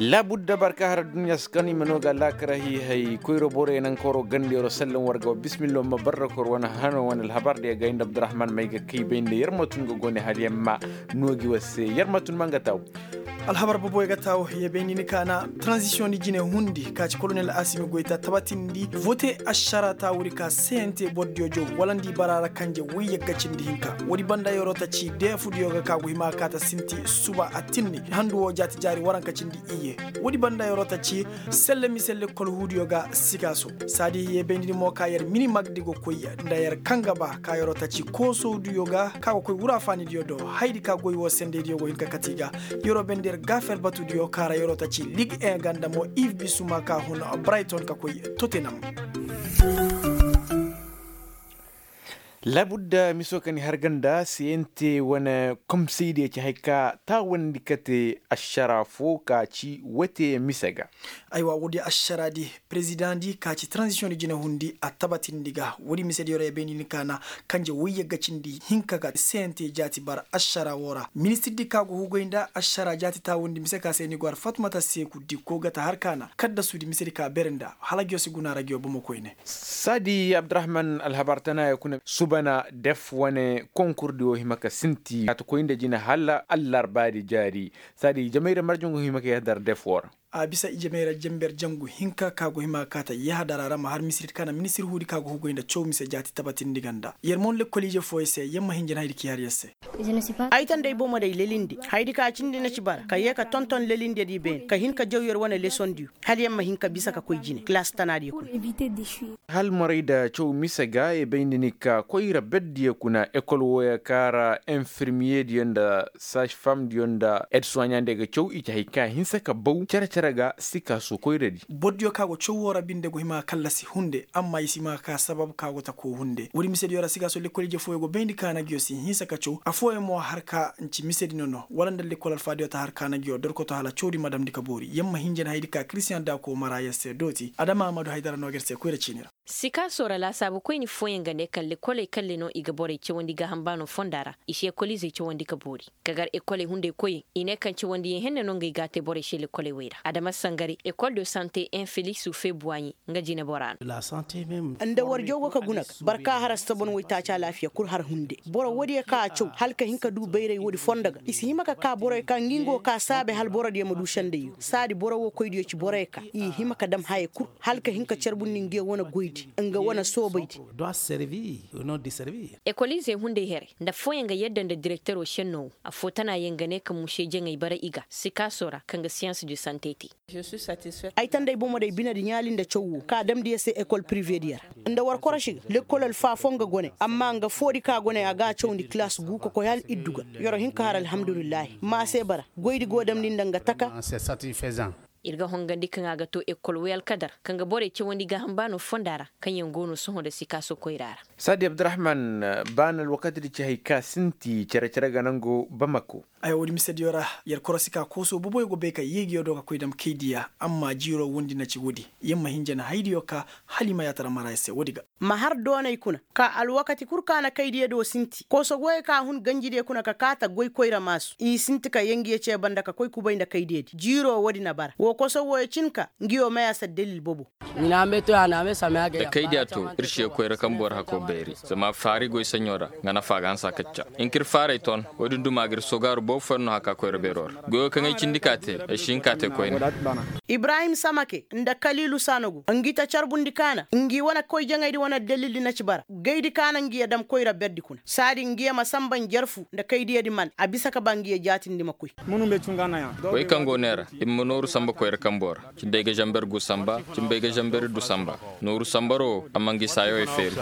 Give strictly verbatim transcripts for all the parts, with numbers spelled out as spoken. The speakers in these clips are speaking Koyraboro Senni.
Laabudda barka har adduɲɲa si kan i ma no ga laakara hiihay koyro borey naŋ koro gandiyaro sallan war ga wa bismillo ma barra kor wane hano wane alhabar diya ga inda abdurrahman may ga kay bay nda yer ma tun ga gone hala yer ma noogi war se yer ma tun ma nga taaw. Alhabar boboy ga taaw yer bay ni ni kaana. Tranzisiyoŋ di jine hundi ka ci kolonel asimi goyta tabatindi vote ašara taawuri ka sente bordiyo jow wala nda i bara ra kanje woy yagga cindi hinka. Woodi banda yeroo ta ci deefudiyo ga ka go hima kaata sinti suba attinni handu woo jaati jaari waranka cindi iyye. Woodi banda yeroo ta ci selle mise lekkol huudiyo ga sikaaso. Saadi ye baynidi mo ka yer minimagdi go koy nda yer kaŋ ga ba ka yeroo ta ci koosowdiyo ga ka go koy wuraafaanidiyo do. Hayadi ka goy woo sendeydiyo go hin ka kati ga yeroo bende yer gaafel batudiyo ka ra yeroo ta ci lig en ganda mo iv bisuma ka hun brayton ka koy totenam. Laabudda miso kaŋ i har ganda siyente wane komsey diya ci hay ka taawandi kate ašara fo ka ci wote mise ga. Aywa woodi ašara di perezidaŋ di ka ci tranzisiyoŋ di jine hundi a tabatindi ga woodi mise di yoro ya bayndi ni kaana kanje woyye ga cindi hinka ga siyente jaati bara ašara woo ra ministir di ka go hugay nda ašara jaati taawandi mise ka se ni go har fatmata seeku di ko gata har kaana kaddasu di mise di ka bere nda hala giyo si guna ra giyo bomo koyne. Saadi abdurahman alhabar tana ya kuna subana def wane konkur di wo hima ka sinti a ta koy nda jina hala allarba di jaari. Saadi jamayra marjaŋ go hima ka yahadar def wo ra. A bisa i jamayra jamber jangu hinka ka go hima ka ta yahadar a ra ma har misiri ka na ministiri huudi ka go hugoy nda caw mise jaati tabatindi ganda yer mon lekkol ije fooyo se yer ma hinja na haydi ki har yer se. Ay tan day bomo day lelinde haydi ka cindi na ci bara ka ye ka tonton lelinde di beene ka hin ka jaw yer wane leson diyo hala yer ma hin ka bisa ka koy jine kilaasi tana diyo kuna. Hal moray da caw mise ga ye bayndi ni ka koyra berdiyo kuna ekol wooyo ka ra infirmiye diyo nda saš fam diyo nda ed soɲande ga caw i ci hay ka hinse ka baw cere-cere ga si ka su koyra di. Bordiyo ka go caw woo ra binde go hima kallasi hunde amma i si ma ka sabab ka go ta ko hunde woodi misediyo ra si ka su lekkol ije fooyo go bayndi ka na giyo si hinse ka caw afooyaŋ mo har ka nci misedi nono wala nda lekkol alfaadiyo ta har ka na giyo dorkoto hala cawdi ma damndi ka boori yer ma hinja na haydi ka kiristiyaŋ daako mara yer se dooti adama amadu haydara no ga yer se koyra ciini ra. Sikaaso ra laasaabu koyni fooyaŋ ga ne kaŋ lekoley kalle no i ga borey cawandi gaaham baano fonda ra i si ekoliizey cawandi ka boori. Ka gar ekoley hunday koyey i ne kaŋ cawandiyaŋ henne no ngey ga a te borey se lekoley wey ra adama sangari ekol de sante en felisu febuwaɲi nga jinebora no. Nda warjaw go ka guna ga boro ka har astabon waytaaci alaafiya kul har hunde boro woodiyo ka a caw hala ka hin ka du bayray woodi fondo ga i si hima ka ka boroyo ka ngi nga wo ka saabe hala borodiyo ma du sendayyo saadi boro wo koydiyo ci boroyo ka i hima ka dam haya kul hala ka hin ka carbundi ngiyo wane goydi nga wane soobaydi. Ekoliizey hunday here nda fooyaŋ ga yadda nda direktero šenno wo affoo tana yaŋ ga ne ka muse jaŋay bara i ga sikaaso ra kaŋ ga siyans de sante te. Ay tanday bomo day binedi ɲaali nda caw wo ka damndi yer se ekol piriveediyo ra nda war koroši ga lekkol alfaafoŋ ga gone amma nga foodi ka gone a ga a cawndi kilaas gu ka koy hala iddu ga. Yer wo hin ka har alhamdulillahi maa se bara goydi go damndi nda nga taka. Ir ga hongandi kaŋ a ga to ekol way alkadar kaŋ ga borey cawandi gaaham baano fonda ra kaŋyaŋ go no sohõ nda sikaaso koyra ra. Saadi abdurahman baana alwakatidi ci hay ka sinti cere-cere ga nango bamako. Ay woodi misediyo ra yer korosi ka kooso boboyo go bay ka yeegiyo do ka koy dam kaydiya amma jiiro wondi na ci woodi yer ma hinja na haydiyo ka hala i ma yaatara mara yer se woodi ga. Ma har doonay kuna ka alwakati kul ka na kaydiyo do sinti kooso goyey ka hun ganjidiyo kuna ka kaata goy koyra maasu i sinti ka yee ngiyo cee banda ka koy kubay nda kaydiyodi jiiro woodi na bara woo koso wooyo cin ka ngiyo may a si addalil bobo. Da kaydiya to ir si yee koyra kaŋ boro hako bayri zama faari goy saɲo ra nga nafa ga hanse a kacca. Hin ka ir faaray ton woodin duma ga ir sogaaru boobo fooyaŋ no haka koyra beero ra goyo kaŋ ay cindi ka te ay si hin ka te koyne. Ibrahim samake nda kaliilu sanogu ngi ta carbundi kaana ngi wane koy jaŋaydi wane dalildi na ci bara gaydi kaana ngi ya dam koyra berdi kuna saadi ngi ya ma samba njarfu nda kaydiyadi man a bisa ka ba ngi ya jaatindi ma koy. Wey kaŋ go neera i ma nooru samba koyra kambo ra. Cimbey ga zamber gu samba cimbey ga zamber iddu samba. Nooru sambaro a ma ngi saayawey feeri.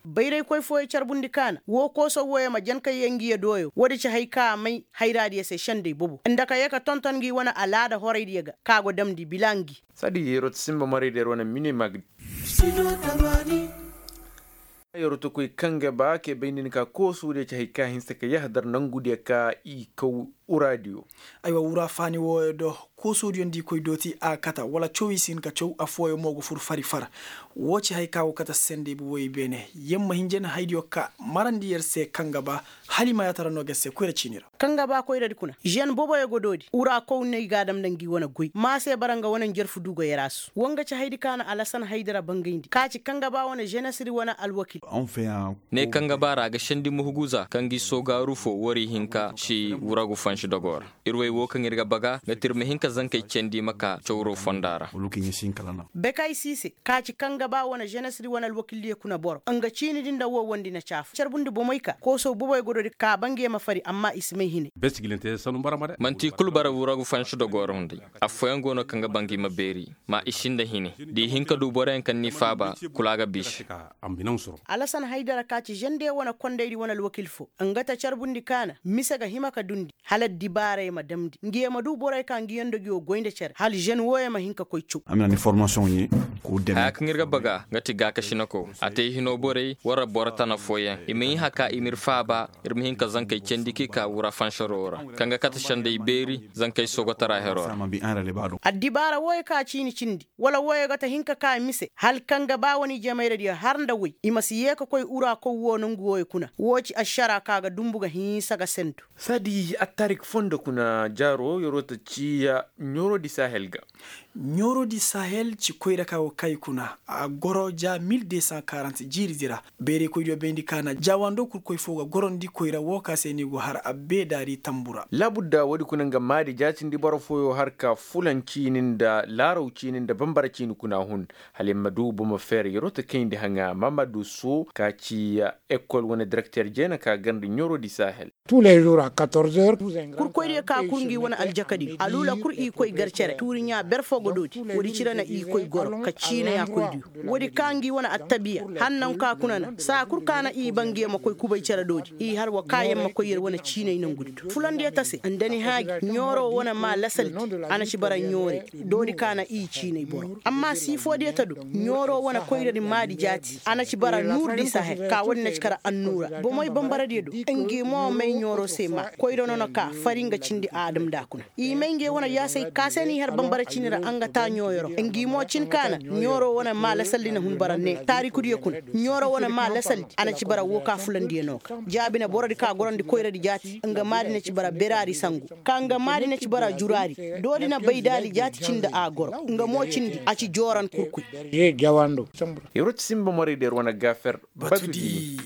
Bayraykoy fooyo carbundi kaana woo kooso wooyo ma jan ka yee ngi ya dooyo woodi ci hay ka a may hayraadiyo se sendey bobo nda ka yee ka tonton ngi wane alaada horaydiyo ga ka go damndi bila ngi. Saadi yeroo ti simba moraydiyo wane minimag. Yeroo ti koy kaŋ ga ba kee bay nin ka koosuudiyo ci hay ka hinse ka yahadar nangudiyo ka i kaw. Uraadiyo. Aywa wura faani wooyo do, koosoodiyo nda i koy dooti a kata wala caw i si hin ka caw affooyo mo go fur fari far. Woo ci haya ka go kate sendey bobey beene. Yer ma hinja na hayadiyo ka marandi yer se kaŋ ga ba, hala i ma yaatara no ga yer se koyra ciini ra. Kaŋ ga ba koyradi kuna žen boboyo go doodi wura kowney ga a dam nda ngi wane goy ma se bara nga wane njarfu du go yer a su woo nga ci hayadi ka na alasan haydara bangayndi ka ci kaŋ ga ba wane ženesri wane alwakil. Ne kaŋ ga ba ra a ga sendi muhuguza kaŋ gi soogaaru fo wari hinka ci wuragu fansi dogo ra. Ir way woo kaŋ ir ga baga nga ti ir ma hin ka zankey candi ma ka cawro fonda ra. Bekay siise ka ci kaŋ ga ba wane ženesri wane alwakildiyo kuna boro nga ciini di nda woo wondi na caafu carbundi bomey ka koosow boboy godo di ka ba ngi ye ma fari amma i si may hine. Manti kul bara wuragu fansi dogo ra hunday. Affooyaŋ go no kaŋ ga ba ngi ma beeri ma i sinda hine da i hin ka du boroyaŋ kaŋ n'i faaba kul a ga biisi. Alasan haydara ka ci žende wane kondaydi wane alwakil fo nga ta carbundi ka na mise ga hima ka dundi hala addibaarey ma damndi ngi ye ma du borey ka ngi yaŋ dogiyo goy nda cere hala žen wooyo ma hin ka koy caw. Haya kaŋ ir ga baga nga ti gaakasinako a te hino borey wara boro tana fooyaŋ i ma hin haka i ma ir faaba. Ir ma hin ka zankey candi k'i ka wura fansaroo ra kaŋ ga kate sendey beeri zankey soogotara heroo ra. Addibaara wooyo ka ciini cindi wala wooyo ga ta hin ka ka mise hala kaŋ ga ba wane ijemayradiyo har nda woy i ma si yee ka koy ura kow woo nongu wooyo kuna woo ci ašara ka ga dumbu ga hinsa ga sentu. Saadi attarik fondo kuna jaaro yeroo ta ciiya ɲoorodi sahel ga. Ɲoorodi sahel ci koyra ka go kay kuna a goro ja mil de san karant jiiridi ra. Beeraykoydiyo bayndi ka na jaawando kurkoy fo ga gorondi koyra woo ka se ni go har abbeedaari tambu ra. Laabudda woodi kuna nga maadi jaatindi boro fooyo har ka fulaŋ ciini nda laaraw ciini nda bambara ciini kuna hun. Hala yer ma du bomo feer yeroo ta kayndi haŋa mamadu soo ka ci ekol wane direkter jeena ka garndi ɲoorodi sahel. Kurkoydiyo ka kul ngi wane aljakadiyo aluula kul i koy gar cere tuuriɲaa ber fo ga doodi. Woodi cire na i koy goro ka ciina yaakoydiyo. Woodi ka ngi wane attabiya hannaŋ ka kuna na saa kul ka na i ba ngi ye ma koy kubay cere doodi i har wa ka yer ma koy yer wane ciinay nangudi do fulandiyo ta se nda ni haaji ɲooro wane maa lasaldi. A na ci bara ɲoore doodi ka na i ciinay boro amma siifoodiyo ta do. Ɲooro wane koyradi maadi jaati a na ci bara nuurdi sahel ka woodi na ci kara annuura bomey bambaradiyo do. Ngi mo may ɲooro se maa koyra no na ka fari nga cindi aadam nda kuna. I may nge wane yaasay ka se n'i har bambara cini ra a nga taa ɲooyoro ngi mo cin ka na ɲooro wane maa lasaldi na hun bara ne taarikudiyo kuna. Ɲooro wane maa lasaldi a na ci bara woo ka fulandiyo no ga jaabi na borodi ka gorondi koyradi jaati nga maadi na ci bara beraari sangu ka nga maadi na ci bara juraari. Doodi na baydaali jaati cindi a goro nga mo cindi a ci jooran kurkuy. Yeroo ti sinba morey da yer wane gaafer. Batudi.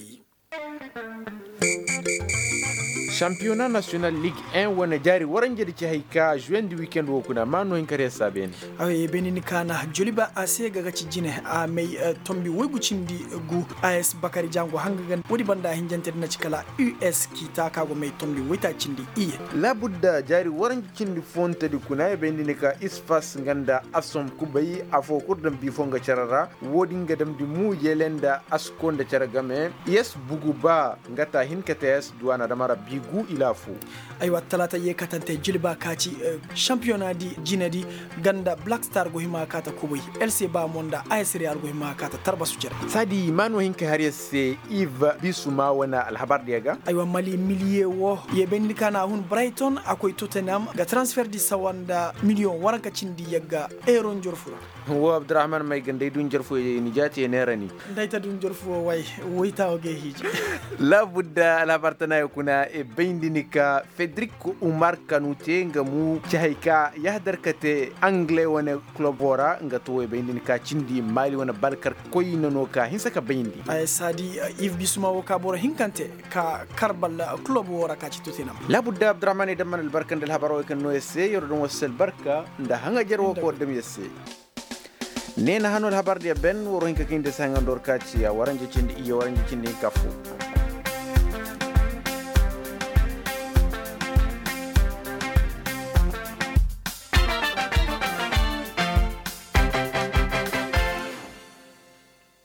Sampiyona nasiyonal lig en wane jaari waranjedi ci hay ka žuwendi wikend woo kuna maa no hin kar yer saa beene. Awa ye beene ni ka na joliba a se ga ga ci jine a may tombi woygu cindi gu. As bakari jango hanga ga woodi banda hinjantedi na ci kala us kiita ka go may tombi woytaaci cindi iye. Laabudda jaari waranji cindi foontedi kuna ye bayndi ni ka isfas nga nda asom kubay afoo kul daŋ bii foo nga cere ra. Woodin ga damndi muu yele nda asko nda cere game yes bugu ba nga ta hin ka te yes duwaana dama ra bii gu ilaafo. Aywa talaata yee katante jilba ka ci, sampiyonadi jinedi, nga nda black star go hima ka ta kubay. Else ba mo nda a s real go hima ka ta tarbasu cere. Saadi maa no hin ka har yes se iv bisuma wane alhabar diya ga. Aywa mali miliye wo ye bayndi ka na a hun brighton a koy tottenham ga transfer di sawa nda miliyoŋ waranka cindi yagga euro njorfu ra. Wo abdurahman may ga nda ay du njorfu ni jaati ya neera ni. Nda ay ta du njorfu wo way. Wayta wo ga ay hiiji. Laabudda alhabar tana ya kuna e bayndi ni ka fedrik umar kanu te nga mu ci hay ka yahdar ka te angle wane club wo ra nga to wo e bayndi ni ka cindi maali wane balkar koyna no ka hinsa ka bayndi. Ay saadi iv bisuma wo ka boro hinkante ka kar balla club wo ra ka ci tottenham. Laabudda abdurahman ay damman albarka nda alhabar wo ay kaŋ no ya se yaro daŋ wasu albarka nda haŋajer wo ka war dam ya se. Neena hano alhabar diya ben waro hinka kaŋ inde se haŋando war ka ci a waranje cindi iyye waranje cindi hinka fo.